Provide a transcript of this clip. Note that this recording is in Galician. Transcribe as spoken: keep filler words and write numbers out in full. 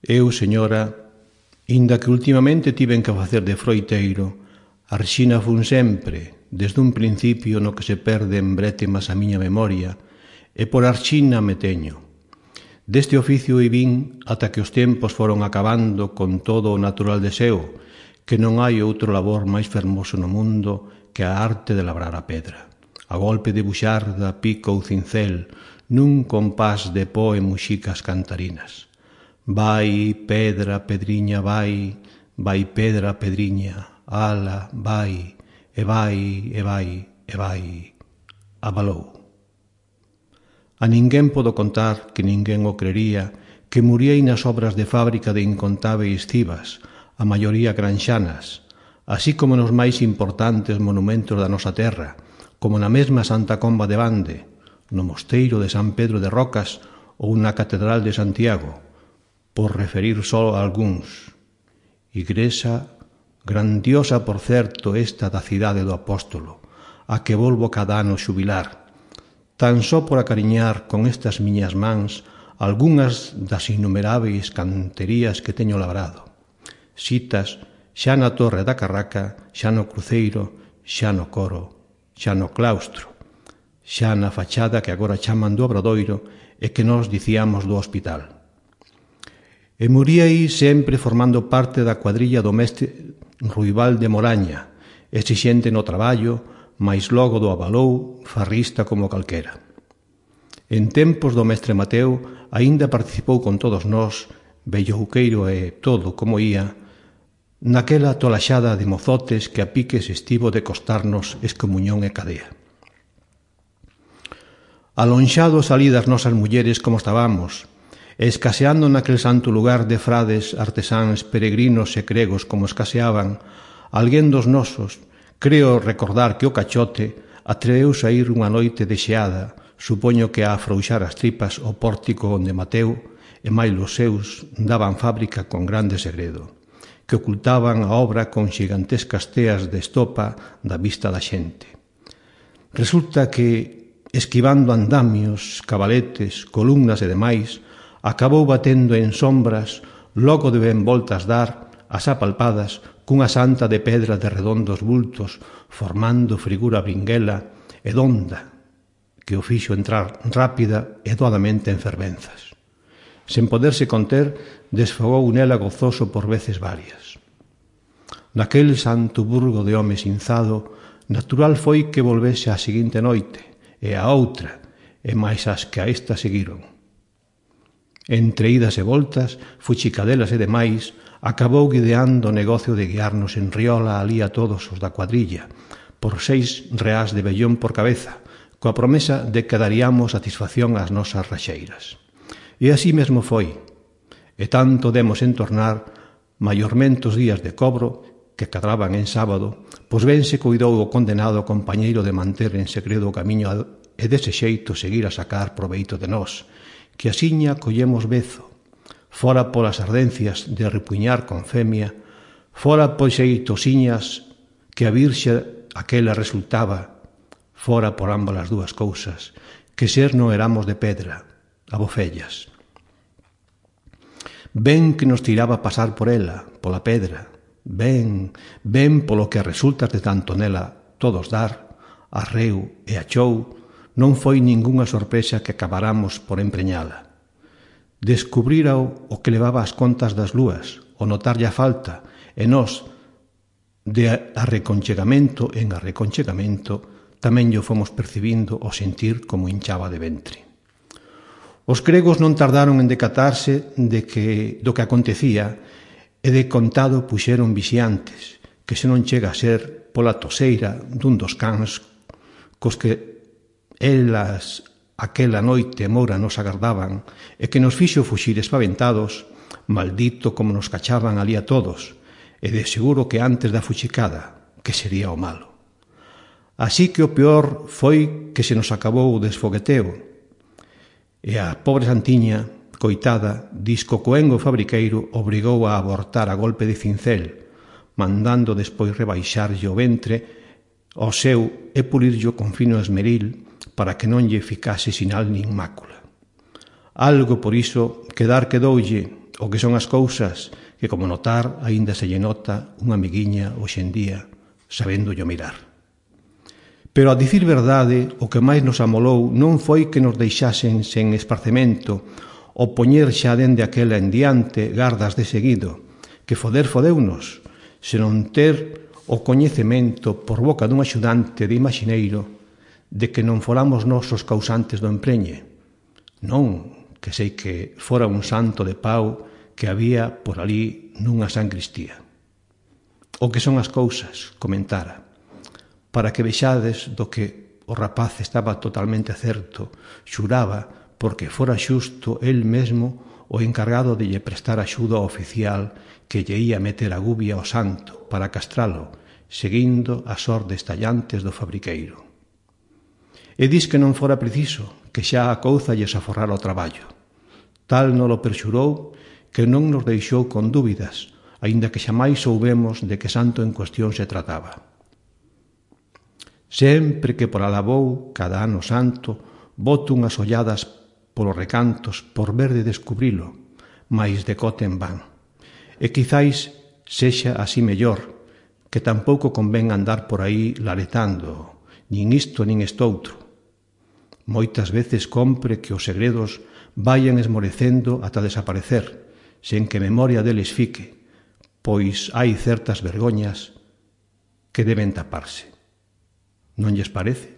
Eu, señora, inda que ultimamente tiven que facer de froiteiro, a rexina fun sempre, desde un principio no que se perde en brétemas a miña memoria, e por arxina me teño. Deste oficio vin ata que os tempos foron acabando con todo o natural deseo, que non hai outro labor máis fermoso no mundo que a arte de labrar a pedra, a golpe de buxarda, pico ou cincel, nun compás de po e muxicas cantarinas. Vai, pedra, pedriña, vai, vai, pedra, pedriña, ala, vai, e vai, e vai, e vai, abalou. A ninguén podo contar, que ninguén o crería, que muriei nas obras de fábrica de incontáveis cibas, a maioría granxanas, así como nos máis importantes monumentos da nosa terra, como na mesma Santa Comba de Bande, no mosteiro de San Pedro de Rocas ou na Catedral de Santiago, por referir só a algúns. Igrexa grandiosa, por certo, esta da cidade do Apóstolo, a que volvo cada ano xubilar, tan só por acariñar con estas miñas mans algunhas das innumeráveis canterías que teño labrado. Citas xa na Torre da Carraca, xa no Cruceiro, xa no Coro, xa no Claustro, xa na fachada que agora chaman do Obradoiro e que nós dicíamos do Hospital. E muriei sempre formando parte da cuadrilla do mestre Ruibal de Moraña, exixente no traballo, mais logo do abalou, farrista como calquera. En tempos do mestre Mateo, aínda participou con todos nós, vellouqueiro e todo como ia, naquela tolaxada de mozotes que a piques estivo de costarnos excomuñón e cadea. Alonxados alí das nosas mulleres como estábamos, e escaseando naquel santo lugar de frades, artesáns, peregrinos e cregos como escaseaban, alguén dos nosos, creo recordar que o Cachote, atreveuse a ir unha noite de xeada, supoño que a afrouxar as tripas o pórtico onde Mateu e máis os seus daban fábrica con grande segredo, que ocultaban a obra con xigantescas teas de estopa da vista da xente. Resulta que, esquivando andamios, cabaletes, columnas e demais, acabou batendo en sombras, logo de ben voltas dar, as apalpadas, cunha santa de pedra de redondos bultos, formando figura bringuela e donda, que o fixo entrar rápida e doadamente en fervenzas. Sen poderse conter, desfogou nela gozoso por veces varias. Naquel santo burgo de home sinzado, natural foi que volvese a seguinte noite, e a outra, e máis as que a esta seguiron. Entre idas e voltas, fuchicadelas e demais, acabou guideando o negocio de guiarnos en riola alí a todos os da cuadrilla, por seis reás de vellón por cabeza, coa promesa de que daríamos satisfacción ás nosas raxeiras. E así mesmo foi, e tanto demos en tornar, maiormente os días de cobro, que cadraban en sábado, pois ben se cuidou o condenado compañeiro de manter en segredo o camiño e dese xeito seguir a sacar proveito de nós, que asiña collemos bezo, fora polas ardencias de repuñar con femia, fora pois xeitosiñas que a virxe aquela resultaba, fora por ambas as dúas cousas, que ser non éramos de pedra, abofellas. Ben que nos tiraba pasar por ela, pola pedra, ben, ben polo que resultas de tanto nela todos dar, arreu e achou, non foi ningunha sorpresa que acabáramos por empreñala. Descubrírao o que levaba as contas das lúas, o notarlle a falta, e nós, de arreconchegamento en arreconchegamento, tamén yo fomos percibindo o sentir como hinchaba de ventre. Os gregos non tardaron en decatarse de que, do que acontecía, e de contado puxeron vixiantes, que se non chega a ser pola toseira dun dos cans cos que elas aquela noite moura nos agardaban e que nos fixo fuxir espaventados, maldito como nos cachaban ali a todos, e de seguro que antes da fuxicada, que sería o malo. Así que o peor foi que se nos acabou o desfogueteo, e a pobre Santiña, coitada, disco coengo fabriqueiro obrigou a abortar a golpe de cincel, mandando despois rebaixarlle o ventre ao seu e pulirllo con fino esmeril para que non lle ficase sinal nin mácula. Algo por iso quedar quedoulle O que son as cousas que, como notar, aínda se lle nota unha amiguiña hoxe en día, sabendo yo mirar. Pero, a dicir verdade, o que máis nos amolou non foi que nos deixasen sen esparcemento o poñer xa dende aquela en diante gardas de seguido, que foder fodeunos, senón ter o coñecemento por boca dun axudante de imaxineiro de que non foramos nós os causantes do empreñe. Non que sei que fora un santo de pau que había por ali nunha sancristía. O que son as cousas, comentara, para que vexades do que o rapaz estaba totalmente certo, xuraba porque fora xusto el mesmo o encargado de lle prestar axuda ao oficial que lle ia meter a gubia ao santo para castralo, seguindo as ordes tallantes do fabriqueiro. E dis que non fora preciso, que xa a couza lles aforrara o traballo. Tal non o perxurou que non nos deixou con dúbidas, aínda que xamais soubemos de que santo en cuestión se trataba. Sempre que por alabou cada ano santo, boto unhas olladas polos recantos por ver de descubrilo, mais decote en van. E quizáis sexa así mellor, que tampouco convén andar por aí laretando, nin isto nin estoutro. Moitas veces compre que os segredos vayan esmorecendo ata desaparecer, sen que memoria deles fique, pois hai certas vergoñas que deben taparse. Non lles parece?